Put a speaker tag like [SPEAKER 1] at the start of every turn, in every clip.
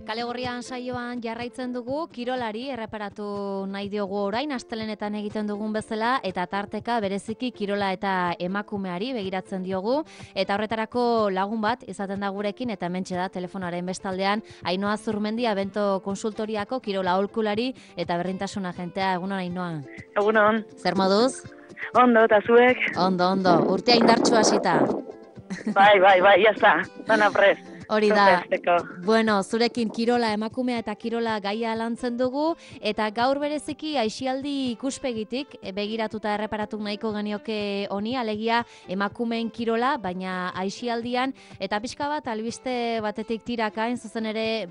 [SPEAKER 1] Kale Gorrian saioan jarraitzen dugu, kirolari erreparatu nahi diogu orain, astelenetan egiten dugun bezala, eta tarteka bereziki kirola eta emakumeari begiratzen diogu, eta horretarako lagun bat izaten da gurekin, eta hementxe da telefonaren bestaldean, Ainhoa Zurmendi, Abento Konsultoriako kirola aholkulari eta berrintasun agentea. Egunon, Ainhoa.
[SPEAKER 2] Egunon.
[SPEAKER 1] Zer moduz?
[SPEAKER 2] Ondo, eta zuek?
[SPEAKER 1] Ondo, urtea indartsu hasita.
[SPEAKER 2] Bai, jazta, dana prest.
[SPEAKER 1] Hori da,
[SPEAKER 2] Presteko.
[SPEAKER 1] bueno, zurekin kirola emakumea eta kirola gaia lantzen dugu, eta gaur bereziki aisialdi ikuspegitik begiratuta erreparatu nahiko genioke honi, alegia emakumeen kirola, baina aisialdian, eta pixka bat albiste batetik tirakain, zuzen ere,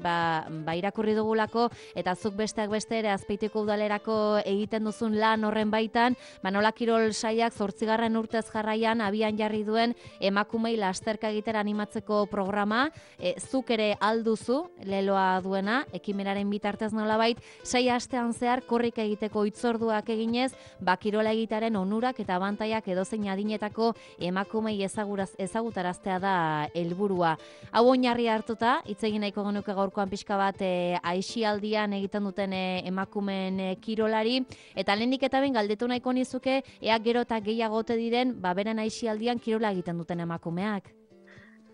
[SPEAKER 1] irakurri dugulako, eta zuk besteak beste ere Azpeitiko udalerako egiten duzun lan horren baitan, nola kirol saiak 8. urtez jarraian abian jarri duen emakumei lasterka egitera animatzeko programa, zuk ere alduzu, leloa duena, ekimenaren bitartez nolabait, 6 astean zehar korrika egiteko hitzorduak eginez, kirola egitaren onurak eta abantaiak edozein adinetako emakumei ezagutaraztea da helburua. Hau oinarri hartuta, hitz egin nahiko genuke gaurkoan pixka bat aisialdian egiten duten emakumeen kirolari, eta lehenik eta behin galdetu nahiko nizuke, ea gero eta gehiago ote diren, beren aisialdian kirola egiten duten emakumeak.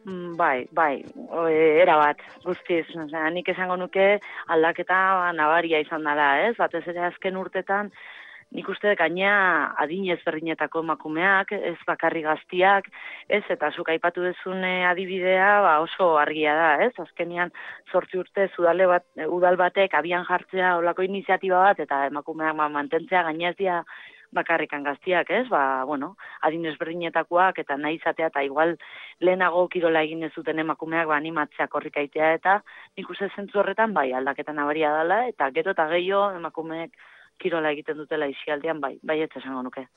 [SPEAKER 2] Bai, era bat, guztiz. Nik esango nuke aldaketa nabaria izan dela, ez? Batez ere azken urtetan, nik uste gaina adin ezberdinetako emakumeak, ez bakarri gaztiak, ez? Eta zuk aipatu duzun adibidea oso argia da, ez? Azkenian 8 urte udal batek abian jartzea olako iniziatiba bat, eta emakumeak mantentzea gaina ez dira bakarrikan gaztiak, ez? Adin ezberdinetakoak eta nahi izatea eta igual lehenago kirola egin ez zuten emakumeak animatzea korrikaitea, eta nik uste zentzu horretan aldaketa nabaria dela, eta gero eta gehiago emakumeek kirola egiten dutela aisialdian, ez esango nuke.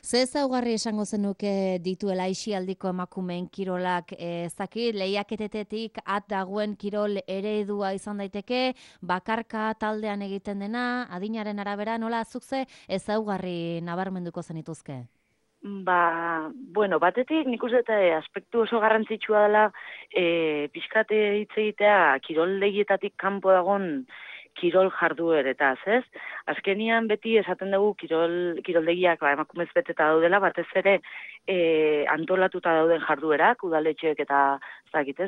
[SPEAKER 1] Ze ezaugarri esango zenuke dituela aisialdiko emakumeen kirolak, ezakit, lehiaketetetik at dagoen kirol eredua izan daiteke, bakarka taldean egiten dena, adinaren arabera, nola zuk ze ezaugarri nabarmenduko zenituzke?
[SPEAKER 2] Batetik nik uste aspektu oso garrantzitsua dela pixkate hitz egitea kirol lehietatik kanpo dagon kirol jardueretaz, ez? Azkenian beti esaten dugu kiroldegiak emakumez beteta daudela, batez ere antolatuta dauden jarduerak, udaletxeek eta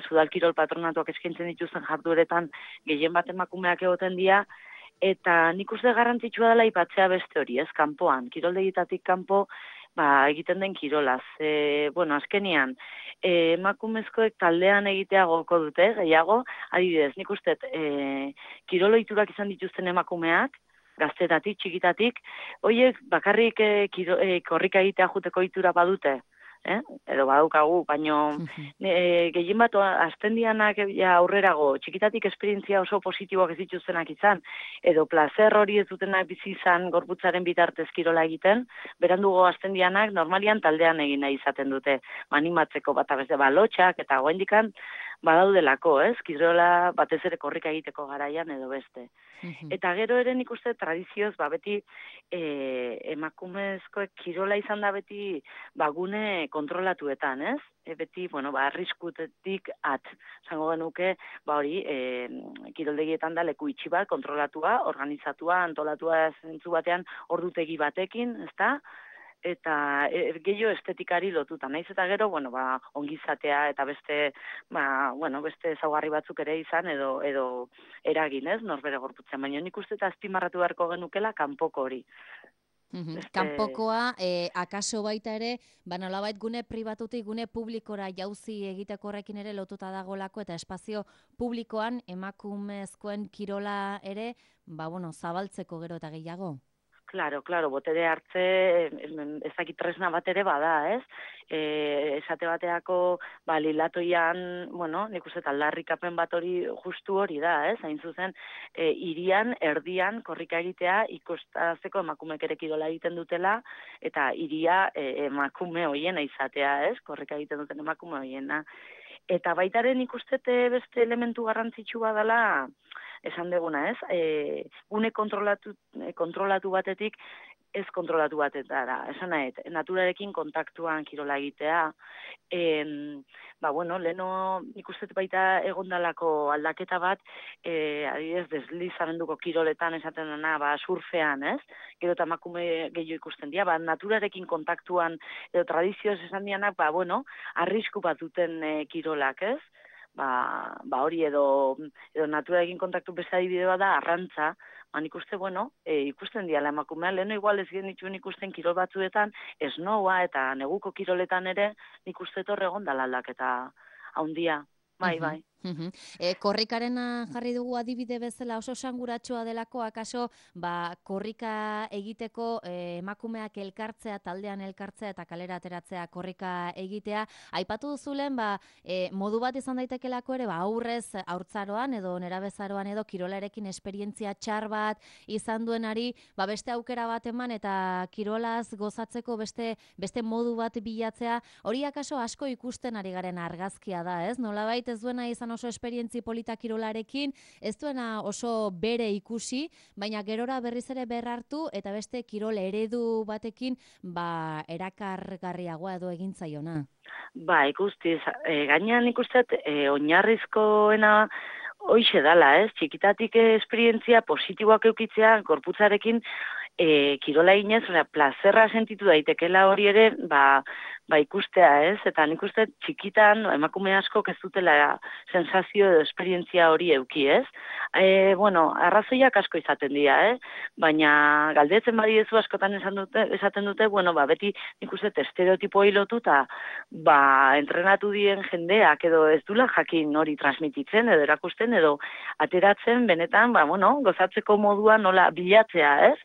[SPEAKER 2] udal kirol patronatuak eskaintzen dituzten jardueretan gehien bat emakumeak egoten dira, eta nik uste garrantzitsua dela aipatzea beste hori, ez? Kanpoan, kiroldegietatik kanpo egiten den kirolaz. Azkenian, emakumezkoek taldean egitea goko dute, gehiago, adibidez, nik uste kiroloiturak izan dituzten emakumeak, gaztetatik, txikitatik, horiek bakarrik korrika egitea juteko itura badute, edo badaukagu, baino gehien bat aztendianak aurrerago, txikitatik esperientzia oso positiboak ez dituztenak izan, edo placer hori ez dutenak bizi izan gorputzaren bitartez kirola egiten, berandugo aztendianak normalian taldean egin nahi izaten dute, animatzeko bat abeste balotxak eta goendikan badaudelako, ez? Kirola batez ere korrika egiteko garaian edo beste. Eta gero ere nik uste tradizioz, beti emakumezkoek kirola izan da beti gune kontrolatuetan, ez? Beti, arriskutetik zango genuke, hori, kiroldegietan da leku itxi bat, kontrolatua, organizatua, antolatua zentzu batean ordutegi batekin, ezta? Eta gehiago estetikari lotuta. Naiz eta gero, ongizatea eta beste ezaugarri batzuk ere izan edo eragin, ez, norbere gorputzen. Baina nik uste eta azpimarratu beharko genukela kanpoko hori.
[SPEAKER 1] Kanpokoa, akaso baita ere, nolabait gune pribatutik, gune publikora jauzi egiteko horrekin ere lotuta dagolako, eta espazio publikoan emakumezkoen kirola ere, zabaltzeko gero eta gehiago.
[SPEAKER 2] Claro, botere hartze ezakit tresna bat ere bada, ez? Esate bateako lilatoian, nik uste aldarrikapen bat hori justu hori da, ez? Hain zuzen, hirian, erdian, korrika egitea ikustazeko emakumeek ere kirola egiten dutela, eta hiria emakume hoiena izatea, ez? Korrika egiten duten emakume hoiena. Eta baitaren ikustete beste elementu garrantzitsua dela, esan deguna, ez? Gune kontrolatu batetik ez kontrolatu batetara. Esan nahi, naturarekin kontaktuan kirola egitea, leheno nik uste baita egondalako aldaketa bat, adibidez, deslizamenduko kiroletan esaten dena, surfean, ez? Gero eta emakume gehiago ikusten dira, naturarekin kontaktuan, edo tradizioz esan dianak, arrisku bat duten kirolak, ez? Hori edo naturarekin kontaktu beste adibide bat da, arrantza, nik uste, ikusten diala emakumea, leheno igual ez genituen ikusten kirol batzuetan, esnoa eta neguko kiroletan ere, nik uste torre gondala aldaketa haundia, bai.
[SPEAKER 1] Korrikarena jarri dugu adibide bezala oso esanguratsua delako, akaso korrika egiteko emakumeak elkartzea, taldean elkartzea eta kalera ateratzea korrika egitea, aipatu duzulen modu bat izan daitekelako ere aurrez haurtzaroan edo nerabezaroan edo kirolarekin esperientzia txar bat izan duenari beste aukera bat eman eta kirolaz gozatzeko beste modu bat bilatzea, hori akaso asko ikusten ari garen argazkia da, ez? Nolabait ez duena izan oso esperientzi polita kirolarekin, ez duena oso bere ikusi, baina gerora berriz ere berrartu eta beste kirol eredu batekin erakargarriagoa edo egin zaiona.
[SPEAKER 2] Ikustiz, gainean ikustet, oinarrizkoena hoixe dala, ez? Txikitatik esperientzia positiboak eukitzea, gorputzarekin kirola eginez, plazerra sentitu daitekela hori ere, ikustea, ez? Eta nik uste txikitan, emakume asko ez dutela sensazio edo esperientzia hori euki, ez? Arrazoiak asko izaten dira, baina galdetzen badiezu askotan esaten dute, beti nik uste estereotipo hilotu eta entrenatu dien jendeak edo ez dula jakin hori transmititzen edo erakusten edo ateratzen benetan, gozatzeko modua nola bilatzea, ez?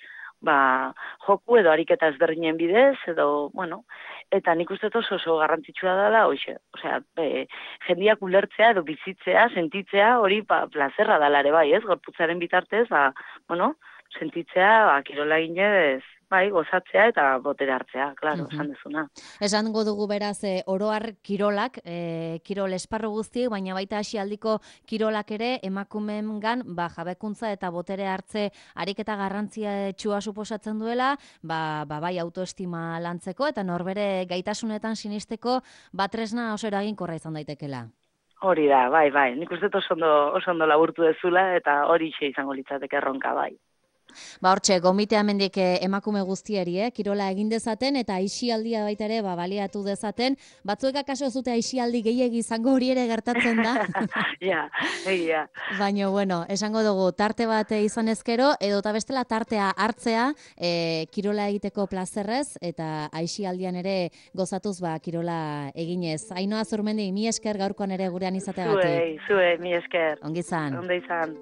[SPEAKER 2] Joku edo ariketa ezberdinen bidez, edo, eta nik uste oso garrantzitsua dela, jendiak ulertzea edo bizitzea, sentitzea, hori plazerra dela ere bai, ez? Gorputzaren bitartez, sentitzea, kirola ginez, gozatzea eta botere hartzea, klaro, esan dezuna.
[SPEAKER 1] Esango dugu beraz, oroar kirolak, kirol esparru guztiek, baina baita hasialdiko kirolak ere, emakumeengan jabekuntza eta botere hartze ariketa garrantzia txua suposatzen duela, bai autoestima lantzeko eta norbere gaitasunetan sinisteko tresna oso eraginkorra izan daitekela.
[SPEAKER 2] Hori da, bai, nik uste oso ondo laburtu dezula eta hori izango litzateke erronka, bai.
[SPEAKER 1] Hortxe, gomitea mendik emakume guztiari, kirola egin dezaten eta aisialdia baita ere baliatu dezaten. Batzuek akaso zute aisialdi gehiegi izango hori ere gertatzen da.
[SPEAKER 2] Ja.
[SPEAKER 1] Baina, esango dugu, tarte bat izan ezkero, edo eta bestela tartea hartzea, kirola egiteko plazerrez eta aisialdian ere gozatuz kirola eginez. Ainhoa Zurmendi, mi esker gaurkoan ere gurean izateagatik.
[SPEAKER 2] Zue, mi esker.
[SPEAKER 1] Ongi izan.
[SPEAKER 2] Ondo izan.